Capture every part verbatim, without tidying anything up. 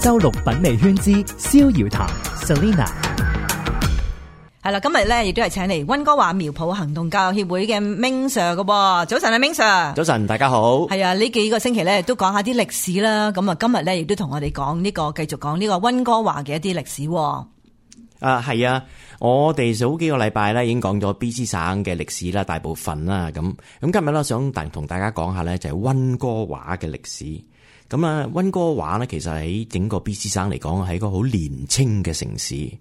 周六品味圈之逍遙談 Selina。係啦，今日咧亦都係請嚟溫哥華苗圃行動教育協會嘅 Ming Sir 噶。早晨啊 Ming Sir。早晨，大家好。係啊，呢幾個星期咧都講下啲歷史啦。咁啊，今日咧亦都同我哋講呢個，繼續講呢個溫哥華嘅一啲歷史。啊，係啊，我哋早幾個禮拜咧已經講咗 B C 省嘅歷史啦，大部分啦。咁咁今日咧想大同大家講下咧就係溫哥華嘅歷史。咁啊，溫哥華咧其實喺整個 B C 省嚟講係一個好年青嘅城市，因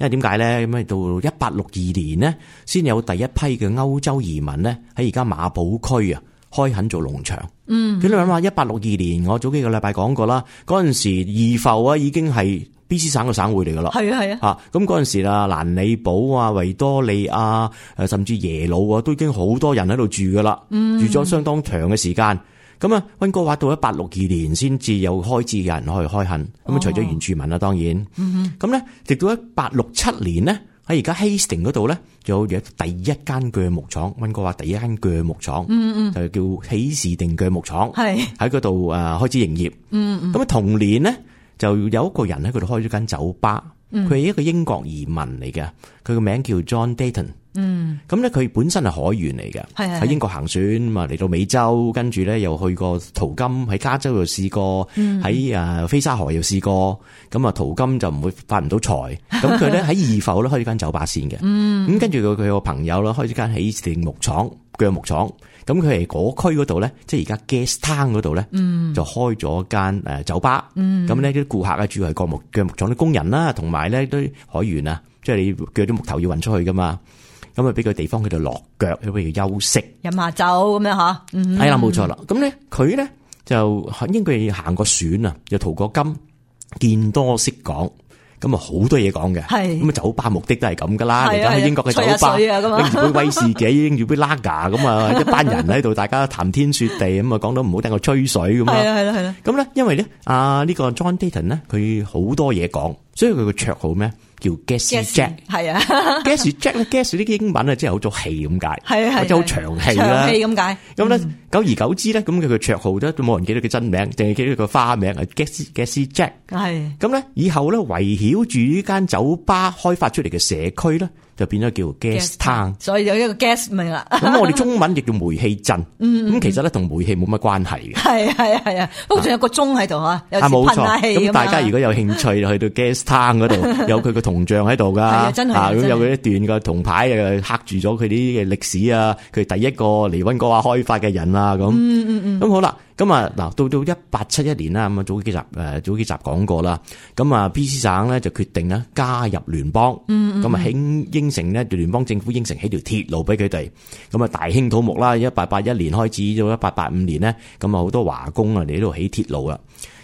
為點解咧？咁啊到一八六二年呢，先有第一批嘅歐洲移民咧喺而家馬堡區啊開墾做農場。嗯，咁你諗下，一八六二年我早幾個禮拜講過啦，嗰陣時義埠啊已經係 B C 省嘅省會嚟噶啦。係啊係啊。吓，咁嗰陣時啦，蘭里堡啊、維多利亞誒，甚至耶魯啊，都已經好多人喺度住噶啦。嗯，住咗相當長嘅時間。咁啊，溫哥華到一八六二年先至有開始有人可以開墾，咁、哦、啊除咗原住民啦，當然，咁、嗯、咧直到一八六七年呢，喺而家 Hastings 嗰度咧，就有第一間鋸木廠，溫哥華第一間鋸木廠，嗯嗯，就叫喜士定鋸木廠，係喺嗰度誒開始營業，嗯嗯，咁啊同年呢，就有一個人喺嗰度開咗間酒吧，佢係、嗯、一個英國移民嚟嘅，佢個名叫 John Dayton。嗯，咁咧佢本身係海員嚟嘅，喺英國行船嘛，嚟到美洲，跟住咧又去過淘金，喺加州又試過，喺誒菲沙河又試過，咁啊淘金就唔會發唔到財，咁佢咧喺義埠咧開咗間酒吧先嘅，咁跟住佢佢個朋友啦開咗間喜士定木廠鋸木廠，咁佢係嗰區嗰度咧，即係而家 Gastown 嗰度咧，就開咗間誒酒吧，咁呢啲顧客啊主要係鋸木鋸木廠啲工人啦，同埋咧啲海員啊，即係你鋸啲木頭要運出去噶嘛。咁啊，俾個地方佢哋落腳，俾佢休息，飲下酒咁樣吓。嗯，係啦，冇錯啦。咁咧，佢咧就應該行過船啊，又淘過金，見多識講，咁啊好多嘢講嘅。係咁啊，酒吧目的都係咁噶啦。嚟緊去英國嘅酒吧，拎住杯威士忌，拎住杯拉嘎，咁啊一班人喺度，大家談天說地，咁啊講到唔好聽我吹水咁啊。係啦係啦係啦。咁咧，因為咧啊呢個 John Dayton 咧，佢好多嘢講，所以佢個綽號咩？叫 Gassy Jack， 係啊 ，Gassy Jack 咧 ，Gassy 呢啲英文啊，即係好做氣咁解，係啊，或者好長氣啦，長氣咁解。咁咧，久而久之咧，咁佢個綽號咧都冇人記得佢真名，淨係記得佢個花名係 Gassy Gassy Jack。係咁咧，以後咧圍繞住呢間酒吧開發出嚟嘅社區咧，就變咗叫 Gastown， 所以有一個 gas 名啦。咁我哋中文亦叫煤氣鎮。咁其實咧同煤氣冇乜關係嘅。係係係啊，不過仲有個鐘喺度吓，有時噴下氣。咁大家如果有興趣去到 Gastown 嗰度，有佢個銅像喺度噶。係啊，真係。咁有佢一段嘅銅牌誒刻住咗佢啲嘅歷史啊，佢第一個嚟溫哥華開發嘅人啊咁。嗯嗯嗯。咁好啦。咁啊，嗱，到到一八七一年啦，咁啊早幾集誒早幾集講過啦。咁啊 B C 省咧就決定咧加入聯邦，咁啊應應承咧聯邦政府應承起條鐵路俾佢哋。咁啊大興土木啦，一八八一年開始到一八八五年咧，咁啊好多華工啊嚟呢度起鐵路啦。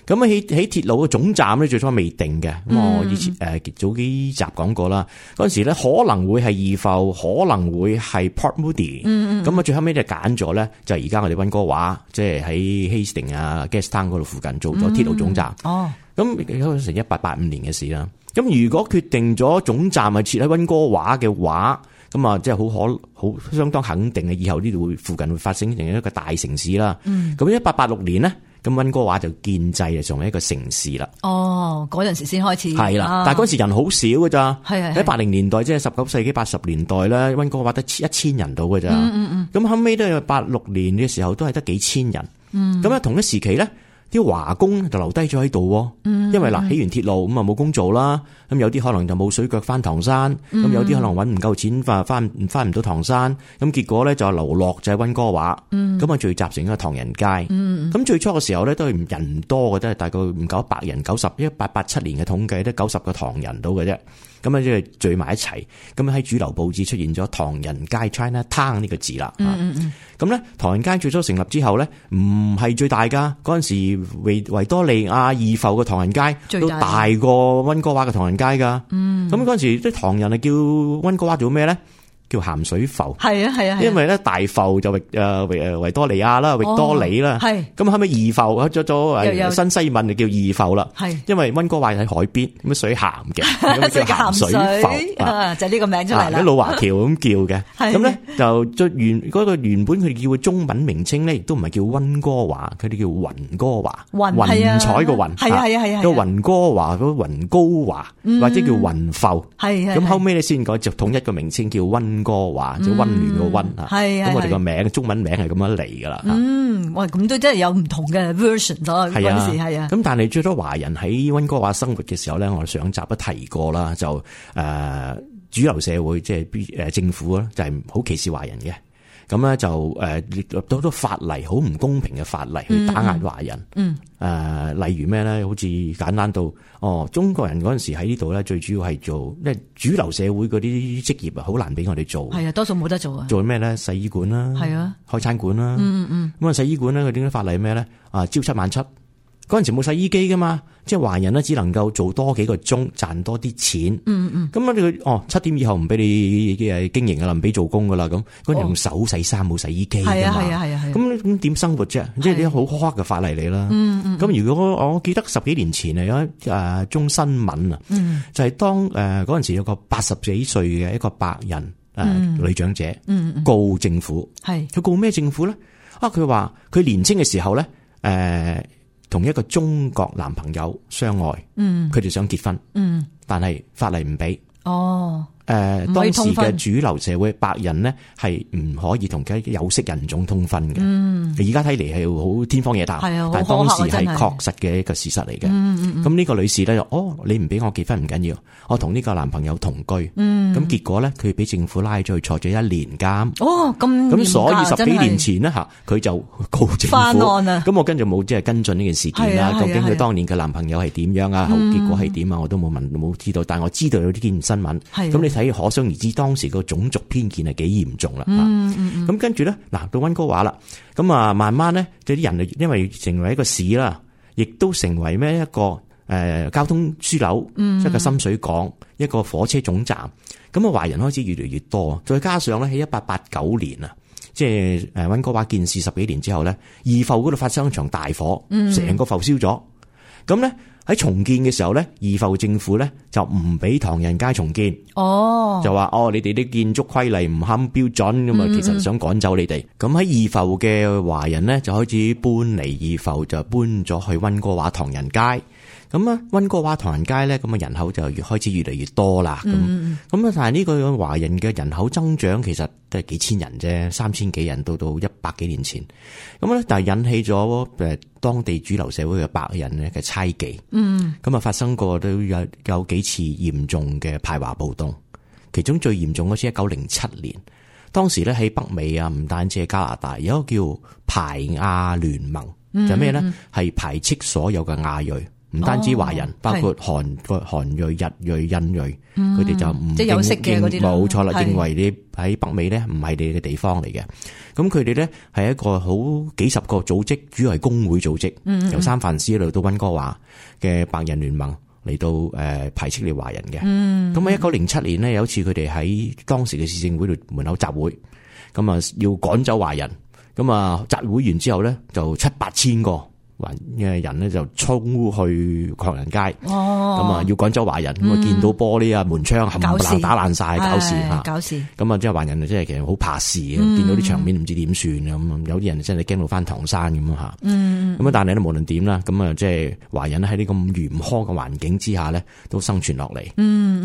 咁啊起起鐵路嘅總站咧最初未定嘅，咁、嗯、我以前誒、呃、早幾集講過啦。嗰陣時咧可能會係義埠，可能會係 Port Moody。嗯嗯。咁啊最後尾就揀咗咧，就係而家我哋溫哥華，即係喺 Hastings 啊 Gastown 嗰度附近做咗鐵路總站。嗯、哦。咁嗰成一八八五年嘅事啦。咁如果決定咗總站係設喺溫哥華嘅話，咁啊即係好可好相當肯定嘅，以後呢度會附近會發生成一個大城市啦。嗯。咁一八八六年呢。咁溫哥華就建制啊，成為一個城市啦。哦，嗰陣時先開始。係啦，啊、但係嗰時人好少噶咋。係係喺八零年代，即係十九世紀八十年代咧，溫哥華得一千人到噶咋。嗯嗯嗯。咁後尾都係八六年嘅時候，都係得幾千人。嗯。咁啊，同一時期咧，啲華工就留低咗喺度。嗯。因為嗱，起完鐵路咁啊冇工做啦。咁有啲可能就冇水腳翻唐山。咁、嗯、有啲可能搵唔夠錢翻翻翻唔到唐山。咁結果咧就流落就喺溫哥華。嗯。咁啊聚集成一個唐人街。嗯。咁最初嘅時候咧都係人唔多嘅，都係大概唔夠一百人。九十一八八七年嘅統計得九十個唐人到嘅啫。咁啊即係聚埋一齊。咁喺主流報紙出現咗唐人街 China Town 呢個字啦。嗯嗯嗯。咁咧唐人街最初成立之後咧，唔係最大噶。嗰陣時維維多利亞義埠嘅唐人街都大過溫哥華嘅唐人街噶。嗯。咁嗰陣時啲唐人係叫溫哥華做咩咧？叫鹹水浮。係啊係啊，因為咧大浮就域誒維維多利亞啦，域多里啦，係咁後尾二浮咗咗誒新西敏就叫二浮啦，係因為溫哥華喺海邊，咁水鹹嘅，咁叫鹹水浮啊，就呢個名出嚟啦。喺老華僑咁叫嘅，咁咧就最原嗰個原本佢哋叫嘅中文名稱咧，亦都唔係叫溫哥華，佢哋叫雲哥華，雲彩個雲，係啊係啊係啊，個雲哥華嗰雲高華或者叫雲浮，係咁後尾咧先改就統一個名稱叫溫哥華，即係溫暖個溫啊。係咁我哋個名中文名係咁樣嚟噶啦。嗯，喂，咁都真係有唔同嘅 version 咗嗰陣時係啊。咁但係最多華人喺溫哥華生活嘅時候咧，我哋上集都提過啦，就誒、呃、主流社會即係誒政府咧就係好歧視華人嘅。咁咧就誒列入到好多法例，好唔公平嘅法例去打壓華人。嗯，誒、呃、例如咩咧？好似簡單到哦，中國人嗰陣時喺呢度咧，最主要係做，因為主流社會嗰啲職業啊，好難俾我哋做。係啊，多數冇得做啊。做咩咧？洗衣館啦，係啊，開餐館啦。嗯嗯。咁啊，洗衣館咧，佢點解法例咩咧？啊，朝七晚七。嗰陣時冇洗衣機噶嘛，即係華人咧只能夠做多幾個鐘，賺多啲錢。嗯嗯。咁啊，佢哦七點以後唔俾你誒經營啊，唔俾做工噶啦咁。嗰陣用手洗衫冇洗衣機噶嘛。係啊係啊係啊係。咁咁點生活啫？即係啲好苛刻嘅法例嚟啦。嗯嗯。咁如果我我記得十幾年前啊，有一誒宗新聞啊，嗯、就係當誒嗰陣時有個八十幾歲嘅一個白人誒、嗯、女長者，嗯嗯、告政府。係。佢告咩政府咧？啊，佢話佢年青嘅時候咧，誒、呃。同一個中國男朋友相愛，嗯，佢哋想結婚，嗯，但係法例唔俾，哦。誒、呃，當時嘅主流社會白人呢係唔可以同嘅有色人種通婚嘅。嗯，而家睇嚟係好天方夜譚，係啊，但係當時係確實嘅一個事實嚟嘅。嗯，咁呢個女士咧就，哦，你唔俾我結婚唔緊要，我同呢個男朋友同居。嗯，咁結果咧，佢俾政府拉咗去坐咗一年監。哦，咁咁所以十幾年前呢，吓，佢就告政府。翻案啊！咁我跟住冇即係跟進呢件事件啦。究竟佢當年嘅男朋友係點樣啊？後結果係點啊？我都冇問冇知道，但係我知道有呢件新聞。係咁你睇。可想而知，當時個種族偏見係幾嚴重啦。嗯嗯嗯。咁跟住咧，嗱到溫哥華啦，咁啊慢慢咧，即啲人因為成為一個市啦，亦都成為咩一個誒、呃、交通樞紐，嗯、一個深水港，一個火車總站。咁啊華人開始越嚟越多，再加上咧喺一八八九年啊，即係誒溫哥華建市十幾年之後咧，二埠嗰度發生一場大火，成、嗯、個埠燒咗。咁咧。喺重建嘅時候咧，二埠政府咧就唔俾唐人街重建，哦，就話哦，你哋啲建築規例唔啱標準咁啊，其實想趕走你哋。咁喺二埠嘅華人咧就開始搬離二埠，就搬咗去溫哥華唐人街。咁啊，溫哥華唐人街咧，咁啊人口就越開始越嚟越多啦。咁咁啊，但係呢個華人嘅人口增長其實都係幾千人啫，三千幾人到到一百幾年前。咁咧，但係引起咗誒當地主流社會嘅白人咧嘅猜忌。嗯，咁啊發生過都有有幾次嚴重嘅排華暴動，其中最嚴重嗰次一九零七年，當時咧喺北美啊，唔單止係加拿大，有一個叫排亞聯盟，嗯、就係咩咧？係排斥所有嘅亞裔。唔單止華人，哦、包括韓韓裔、日裔、印裔，佢、嗯、哋就唔即係有色嘅嗰啲冇錯啦，認為你喺北美咧唔係你嘅地方嚟嘅。咁佢哋咧係一個好幾十個組織，主要係工會組織，嗯、由三藩市嚟到溫哥華嘅白人聯盟嚟到誒排斥你華人嘅。咁喺一九零七年呢，有一次佢哋喺當時嘅市政會度門口集會，咁啊要趕走華人，咁啊集會完之後咧就七八千個。嘅人咧就衝去唐人街，咁啊要趕走華人，咁啊見到玻璃啊門窗冚唪唥打爛晒，搞事吓，搞事。咁啊即係華人啊，即係其實好怕事嘅，見到啲場面唔知點算咁，有啲人真係驚到翻唐山咁吓。咁啊但係咧無論點啦，咁啊即係華人喺呢咁嚴苛嘅環境之下咧，都生存落嚟。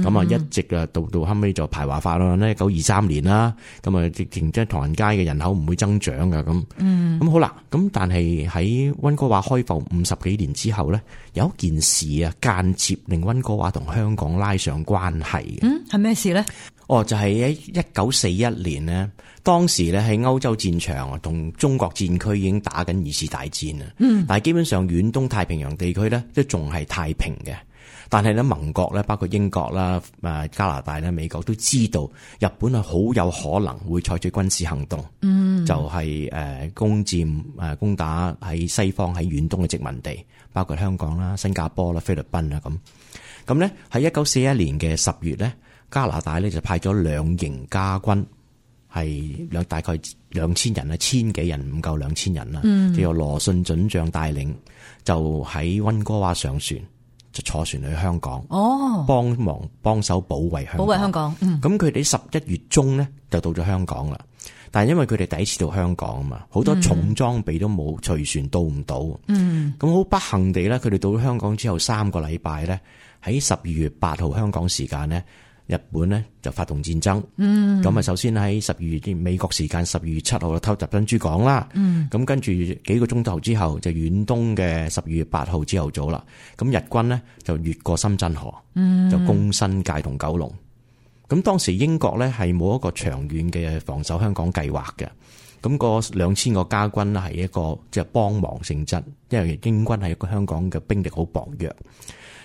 咁啊一直啊到到後尾就排華法案咧，一九二三年啦，咁啊直情即係唐人街嘅人口唔會增長噶咁。咁好啦，咁但係喺溫哥華開埠五十幾年之後咧，有一件事啊，間接令溫哥華同香港拉上關係嘅。嗯，係咩事咧？哦，就係喺一九四一年呢，當時咧喺歐洲戰場啊，同中國戰區已經打緊二次大戰啊。嗯，但係基本上遠東太平洋地區咧都仲係太平嘅。但係咧盟國咧，包括英國啦、誒加拿大啦、美國都知道日本係好有可能會採取軍事行動，嗯，就係誒攻佔誒攻打喺西方喺遠東嘅殖民地，包括香港啦、新加坡啦、菲律賓啦咁。咁咧喺一九四一年嘅十月咧，加拿大咧就派咗兩營加軍係兩大概兩千人啊，千幾人唔夠兩千人啦。嗯，就由羅遜准將帶領，就喺溫哥華上船，就坐船去香港。哦，幫忙幫手保衛香港。保衛香港。嗯，咁佢哋十一月中咧就到咗香港啦。但係因為佢哋第一次到香港啊嘛，好多重裝備都冇，隨船到唔到。嗯，咁好不幸地咧，佢哋到咗香港之後三個禮拜咧，喺十二月八號香港時間咧，日本咧就發動戰爭。嗯，咁啊，首先喺十二月啲美國時間十二月七號就偷襲珍珠港啦。嗯，咁跟住幾個鐘頭之後就遠東嘅十二月八號朝頭早啦。咁日軍咧就越過深圳河，嗯，就攻新界同九龍。咁當時英國咧係冇一個長遠嘅防守香港計劃嘅，咁個兩千個加軍咧係一個即係幫忙性質，因為英軍係一個香港嘅兵力好薄弱，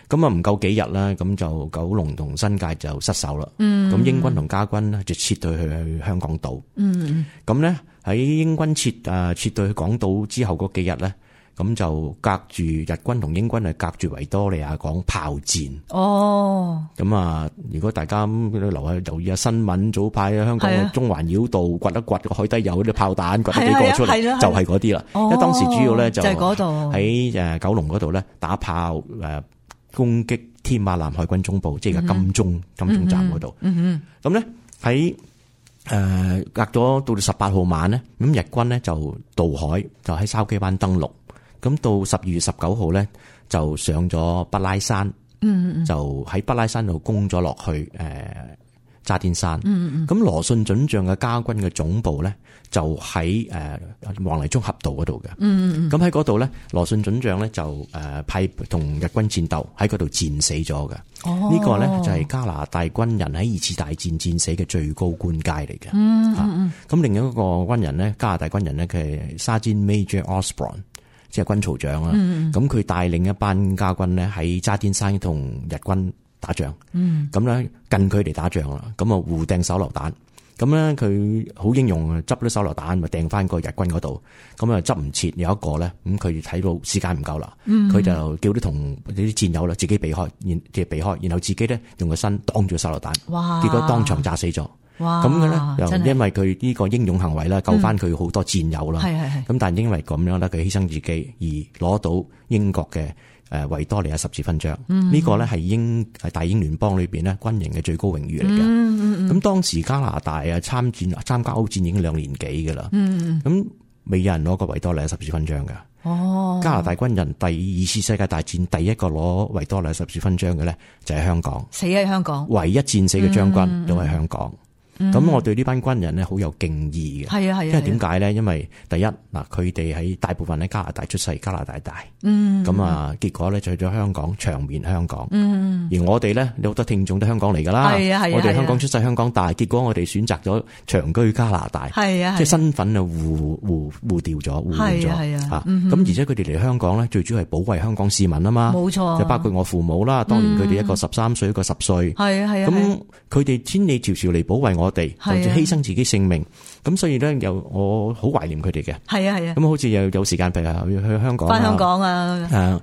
咁啊唔夠幾日啦，咁就九龍同新界就失守啦。嗯，咁英軍同加軍咧就撤退去去香港島。嗯，咁咧喺英軍撤誒撤退去港島之後嗰幾日咧。咁就隔住日軍同英軍係隔住維多利亞港炮戰。哦，咁啊，如果大家留下留意下新聞，早排香港嘅中環繞道掘一掘個海底有啲炮彈，掘幾個出嚟，就係嗰啲啦。因為當時主要咧就喺誒九龍嗰度咧打炮誒攻擊添馬艦海軍總部，即係金鐘金鐘站嗰度。嗯哼，咁咧喺誒隔咗到十八號晚咧，咁日軍咧就渡海，就喺筲箕灣登陸。咁到十二月十九號咧，就上咗北拉山，嗯嗯就喺北拉山度攻咗落去誒渣甸山。嗯嗯咁羅遜准將嘅加軍嘅總部咧，就喺誒黃泥涌峽道嗰度嘅。嗯嗯咁喺嗰度咧，羅遜准將咧就誒派同日軍戰鬥，喺嗰度戰死咗嘅。哦，呢個咧就係加拿大軍人喺二次大戰戰死嘅最高官階嚟嘅。嗯嗯咁另一個軍人咧，加拿大軍人咧，佢係 Sergeant Major Osborne。即係軍曹長啦，咁佢帶領一班加軍咧喺渣甸山同日軍打仗，咁咧、嗯、近距離打仗啦，咁啊互掟手榴彈，咁咧佢好英勇啊，執啲手榴彈咪掟翻個日軍嗰度，咁啊執唔切，有一個咧，咁佢睇到時間唔夠啦，佢、嗯、就叫啲同啲戰友啦自己避開，然即係避開，然後自己咧用個身擋住手榴彈，哇結果當場炸死咗。咁嘅咧，又因為佢呢個英勇行為啦，救翻佢好多戰友啦。係係係。咁但係因為咁樣咧，佢犧牲自己而攞到英國嘅誒維多利亞十字勳章。嗯。呢個咧係英係大英聯邦裏邊咧軍營嘅最高榮譽嚟嘅。嗯嗯嗯。咁當時加拿大啊參戰參加歐戰已經兩年幾㗎啦。嗯。咁未有人攞過維多利亞十字勳章㗎。哦。加拿大軍人第二次世界大戰第一個攞維多利亞十字勳章嘅咧就係香港。死喺香港。唯一戰死嘅將軍都係香港。咁、嗯、我對呢班軍人咧好有敬意嘅，係啊係啊，因為點解咧？因為第一嗱，佢哋喺大部分喺加拿大出世，加拿大大，嗯，咁啊，結果咧就去咗香港長眠香港，嗯，而我哋咧有好多聽眾都香港嚟噶啦，係啊係啊，我哋香港出世香港大，結果我哋選擇咗長居加拿大，係啊，即係身份啊互互互調咗，互換咗，係啊，吓、嗯，咁而且佢哋嚟香港咧，最主要係保衛香港市民啊嘛，冇錯，就包括我父母啦，當年佢哋一個十三歲，一個十歲，係啊係啊，咁佢哋千里迢迢嚟保衛我哋，甚至犧牲自己性命，咁所以咧又我好懷念佢哋嘅。係啊係啊，咁好似又有時間譬如去香港，翻香港啊，誒，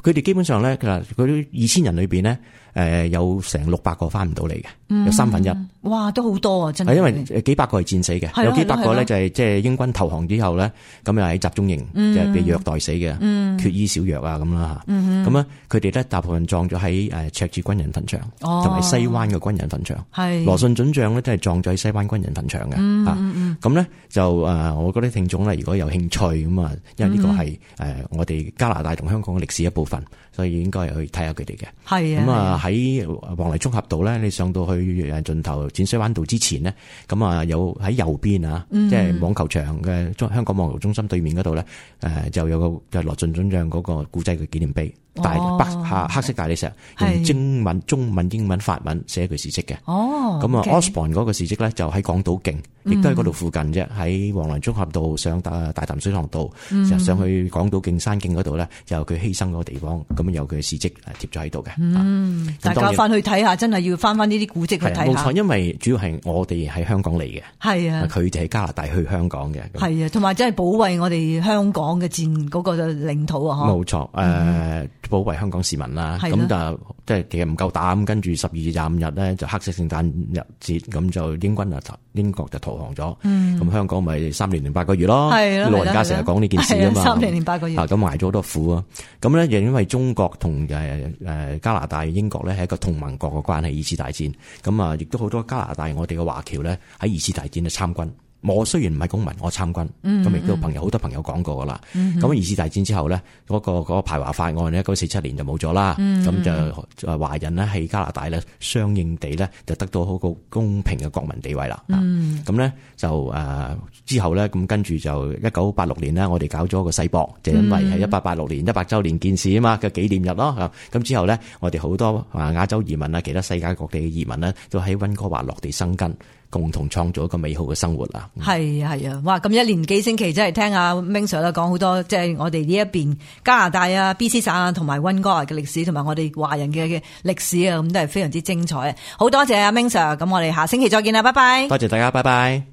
佢哋基本上咧，佢嗰啲二千人裏邊咧，誒有成六百個翻唔到嚟嘅，嗯、有三分一。哇，都好多啊，真係。因為幾百個係戰死嘅，有幾百個咧就係即係英軍投降之後咧，咁又喺集中營即係被虐待死嘅，嗯、缺醫少藥啊咁啦吓。咁啊，佢哋咧大部分葬咗喺誒赤柱軍人墳場，同埋、哦、西灣嘅軍人墳場。係羅遜准將咧，都係葬咗喺西灣軍人墳場嘅。嗯嗯咁咧就誒，我覺得聽眾咧如果有興趣咁啊，因為呢個係誒我哋加拿大同香港嘅歷史一部分，所以應該去睇下佢哋嘅。係啊。咁啊喺黃泥涌峽道咧，你上到去誒盡頭淺水灣道之前呢，咁啊有喺右邊啊，嗯、即係網球場嘅中香港網球中心對面嗰度咧，誒就有個就羅遜准將嗰個古蹟嘅紀念碑。大白下黑色大理石，用英文、中文、英文、法文寫佢事蹟嘅。哦，咁啊 Osborne 嗰個事蹟咧就喺港島徑，亦都喺嗰度附近啫。喺黃泥涌峽道上大大潭水塘道，就上去港島徑山徑嗰度咧，就有佢犧牲嗰個地方，咁有佢嘅事蹟貼咗喺度嘅。嗯，大家翻去睇下，真係要翻翻呢啲古蹟去睇下。冇錯，因為主要係我哋喺香港嚟嘅，係啊，佢哋喺加拿大去香港嘅，係啊，同埋真係保衛我哋香港嘅戰嗰個領土啊！冇錯，誒。保衛香港市民啦。係咁就即係其實唔夠膽，跟住十二月廿五日咧就黑色聖誕日節，咁就英軍啊英國就投降咗。咁、嗯、香港咪三年零八個月咯。係老人家成日講呢件事啊嘛。三年零八個月。啊，咁捱咗好多苦啊。咁咧亦因為中國同誒誒加拿大、英國咧係一個同盟國嘅關係，二次大戰。咁啊，亦都好多加拿大我哋嘅華僑咧喺二次大戰咧參軍。我雖然唔係公民，我參軍，咁亦都朋友好多朋友講過噶啦。咁、嗯、二次大戰之後咧，嗰、那個嗰、那個排華法案咧，一九四七年就冇咗啦。咁、嗯、就誒華人咧喺加拿大咧，相應地咧就得到好個公平嘅國民地位啦。咁、嗯、咧就誒、呃、之後咧，咁跟住就一九八六年咧，我哋搞咗個世博，就因為係一八八六年一百週年建市啊嘛嘅紀念日咯。咁之後咧，我哋好多啊亞洲移民啊，其他世界各地嘅移民呢，都喺溫哥華落地生根。共同創造一個美好嘅生活啦。係啊係啊，哇！咁一年幾星期真係聽阿 Ming Sir 講好多，即係我哋呢一邊加拿大啊、B C 省啊同埋溫哥華嘅歷史，同埋我哋華人嘅嘅歷史啊，咁都係非常之精彩啊！好多謝阿 Ming Sir，咁我哋下星期再見啦，拜拜。多謝大家，拜拜。